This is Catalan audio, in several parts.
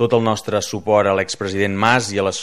tot el nostre suport a l'expresident Mas i a les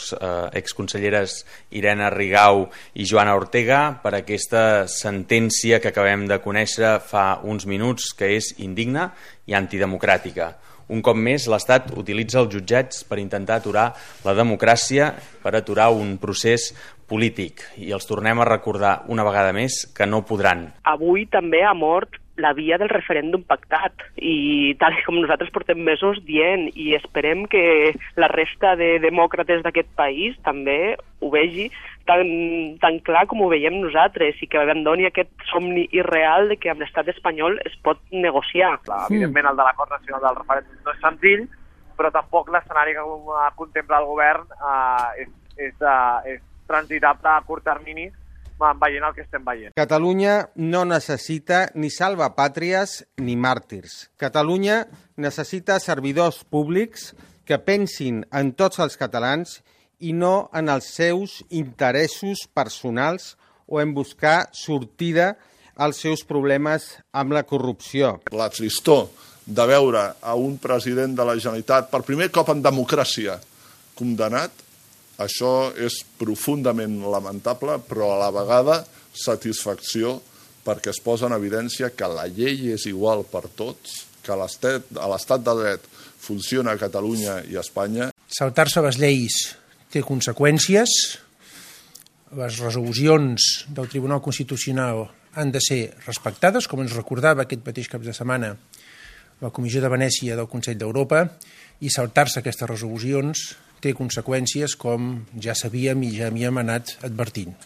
exconselleres Irene Rigau i Joana Ortega per aquesta sentència que acabem de conèixer fa uns minuts, que és indigna i antidemocràtica. Un cop més, l'Estat utilitza els jutjats per intentar aturar la democràcia, per aturar un procés polític. I els tornem a recordar una vegada més que no podran. Avui també ha mort la via del referèndum pactat i tal com nosaltres portem mesos dient, i esperem que la resta de demòcrates d'aquest país també ho vegi tan clar com ho veiem nosaltres i que abandoni aquest somni irreal de que amb l'estat espanyol es pot negociar. Evidentment el de l'acord nacional del referèndum no és senzill, però tampoc l'escenari que contempla el govern és transitable a curt termini veient el que estem veient. Catalunya no necessita ni salvapàtries ni màrtirs. Catalunya necessita servidors públics que pensin en tots els catalans i no en els seus interessos personals o en buscar sortida als seus problemes amb la corrupció. La tristor de veure a un president de la Generalitat per primer cop en democràcia condemnat, això és profundament lamentable, però a la vegada satisfacció perquè es posa en evidència que la llei és igual per tots, que l'estat de dret funciona a Catalunya i a Espanya. Saltar-se les lleis té conseqüències. Les resolucions del Tribunal Constitucional han de ser respectades, com ens recordava aquest mateix cap de setmana la Comissió de Venècia del Consell d'Europa, i saltar-se aquestes resolucions té conseqüències com ja sabíem i ja havíem anat advertint.